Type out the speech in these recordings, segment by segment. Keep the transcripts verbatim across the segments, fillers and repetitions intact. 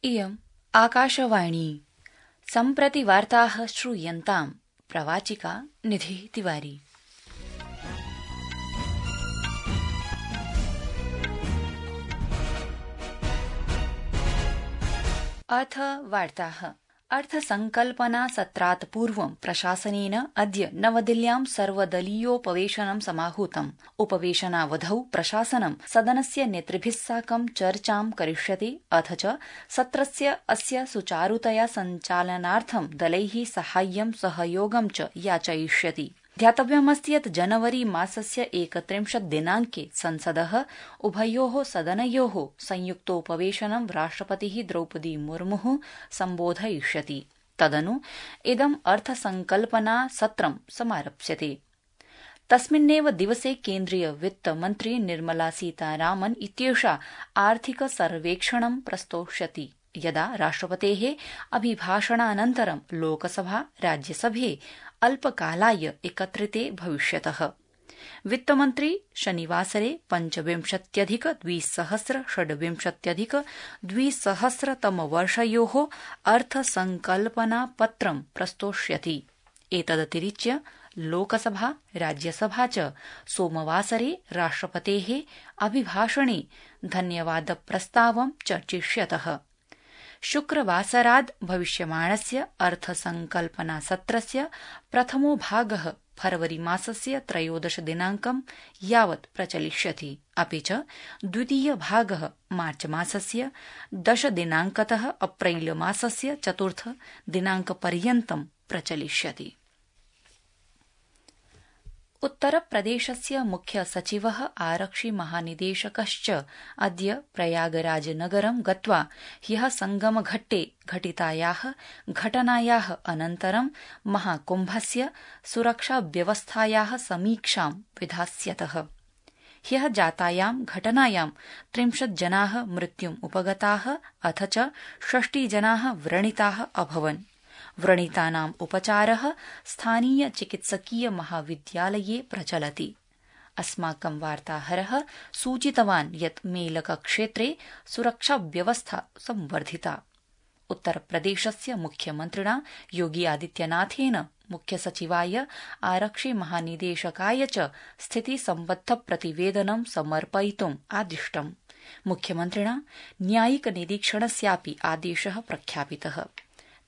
इयम् आकाशवाणी सम्प्रति वार्ताः श्रूयन्ताम् प्रवाचिका निधि तिवारी। अथ वार्ताः। अर्थसंकल्पना सत्रात् पूर्वं प्रशासनेन अद्य नवदिल्ल्यां सर्वदलीयोपवेशनं समाहूतम्। उपवेशनावधौ प्रशासनं सदनस्य नेतृभिः साकं चर्चां करिष्यति अथ च सत्रस्य अस्य सुचारुतया सञ्चालनार्थं दलैः साहाय्यं सहयोगं च याचयिष्यति। ध्यातव्यमस्ति यत् जनवरी मासस्य एकत्रिंशत् दिनाङ्के संसदः उभयोः सदनयोः संयुक्तोपवेशनं राष्ट्रपतिः द्रौपदी मुर्मुः सम्बोधयिष्यति। तदनु इदम् अर्थसंकल्पना सत्रं समारप्स्यते। तस्मिन्नेव दिवसे केन्द्रीय वित्तमन्त्री निर्मला सीतारामन् इत्येषा आर्थिक सर्वेक्षणं प्रस्तोष्यति। यदा राष्ट्रपतेः अभिभाषणानन्तरं लोकसभा राज्यसभे अल्पकालाय एकत्रिते भविष्यतः। वित्तमन्त्री शनिवासरे पञ्चविंशत्यधिक द्विसहस्र षड्विंशत्यधिक द्विसहस्रतमवर्षयोः अर्थसंकल्पनापत्रं प्रस्तोष्यति। एतदतिरिच्य लोकसभा राज्यसभा च सोमवासरे राष्ट्रपतेः अभिभाषणे धन्यवादप्रस्तावं चर्चिष्यतः। शुक्रवासराद् भविष्यमाणस्य अर्थसंकल्पनासत्रस्य प्रथमो भागः फरवरी मासस्य त्रयोदश दिनाङ्कं यावत् प्रचलिष्यति। अपि च द्वितीय भागः मार्च मासस्य दश दिनाङ्कतः अप्रैल मासस्य चतुर्थ दिनाङ्कपर्यन्तं प्रचलिष्यति। उत्तरप्रदेशस्य मुख्य सचिवः आरक्षि महानिदेशकश्च अद्य प्रयागराजनगरं गत्वा ह्यः संगमघट्टे घटितायाः घटनायाः अनन्तरं महाकुम्भस्य सुरक्षाव्यवस्थायाः समीक्षां विधास्यतः। ह्यः जातायां घटनायां त्रिंशत् जनाः मृत्युम् उपगताः अथ च षष्टिजनाः व्रणिताः अभवन्। व्रणितानाम् उपचारः स्थानीय चिकित्सकीय महाविद्यालये प्रचलति। अस्माकं वार्ताहरः सूचितवान् यत् मेलकक्षेत्रे सुरक्षाव्यवस्था संवर्धिता। उत्तरप्रदेशस्य मुख्यमन्त्रिणा योगी आदित्यनाथेन मुख्यसचिवाय आरक्षि महानिदेशकाय च स्थितिसम्बद्धप्रतिवेदनं समर्पयितुम् आदिष्टम्। मुख्यमन्त्रिणा न्यायिकनिरीक्षणस्यापि आदेशः प्रख्यापितः।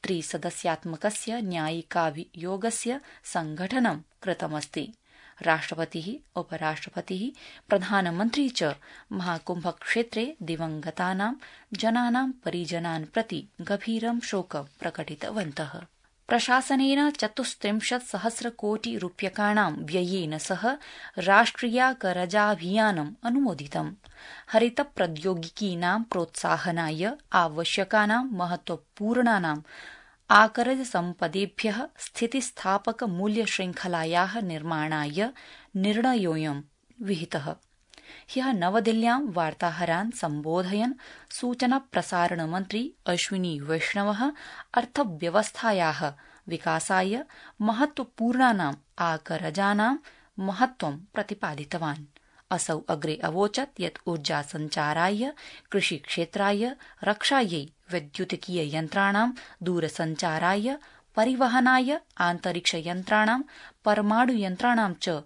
त्रिसदस्यात्मकस्य न्यायिकाभियोगस्य संघटनं कृतमस्ति। राष्ट्रपतिः उपराष्ट्रपतिः प्रधानमन्त्री च महाकुम्भक्षेत्रे दिवंगतानां जनानां परिजनान् प्रति गभीरं शोकं प्रकटितवन्तः। प्रशासनेन चतुस्त्रिंशत् सहस्रकोटि रूप्यकाणां व्ययेन सह राष्ट्रियाकरजाभियानम् अनुमोदितम्। हरितप्रौद्योगिकीनां प्रोत्साहनाय आवश्यकानां महत्वपूर्णानां आकरज सम्पदेभ्यः स्थितिस्थापक मूल्यशृङ्खलायाः निर्माणाय निर्णयोऽयं विहितः। ह्यः नवदिल्ल्यां वार्ताहरान् सम्बोधयन् सूचनाप्रसारणमन्त्री अश्विनी वैष्णवः अर्थव्यवस्थायाः विकासाय महत्वपूर्णानाम् आकरजानां महत्वं प्रतिपादितवान्। असौ अग्रे अवोचत् यत् ऊर्जासञ्चाराय कृषिक्षेत्राय रक्षायै वैद्युतिकीययन्त्राणां दूरसञ्चाराय परिवहनाय आन्तरिक्षयन्त्राणां परमाणुयन्त्राणां च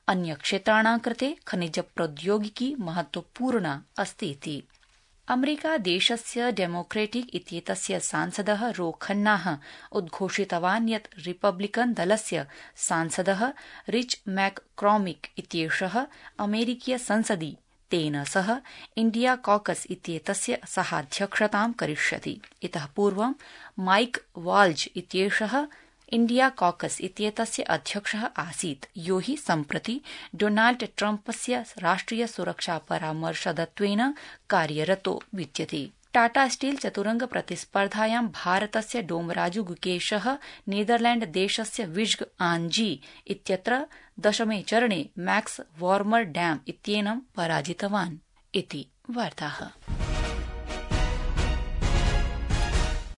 अन्यक्षेत्राणां कृते खनिजप्रौद्योगिकी महत्वपूर्णा अस्तीति। अमेरिकादेशस्य डेमोक्रेटिक इत्येतस्य सांसदः रो खन्नाः उद्घोषितवान् यत् रिपब्लिकन दलस्य सांसदः रिच मैक्कॉर्मिक इत्येषः अमेरिकीयसंसदि तेन सह इंडिया कॉकस इत्येतस्य सहाध्यक्षतां करिष्यति। इतः पूर्वं माइक वाल्ज इत्येषः इंडिया कॉकस इत्येतस्य अध्यक्षः आसीत्, यो हि सम्प्रति डोनाल्ड ट्रम्पस्य राष्ट्रिय सुरक्षा परामर्शदत्वेन कार्यरतो विद्यते। टाटा स्टील चतुरंग प्रतिस्पर्धायां भारतस्य डोमराजु गुकेशः नीदरलैंड देशस्य विज्ग आंजी इत्यत्र दशमे चरणे मैक्स वार्मर डैम इत्येनं पराजितवान् इति वार्ताः।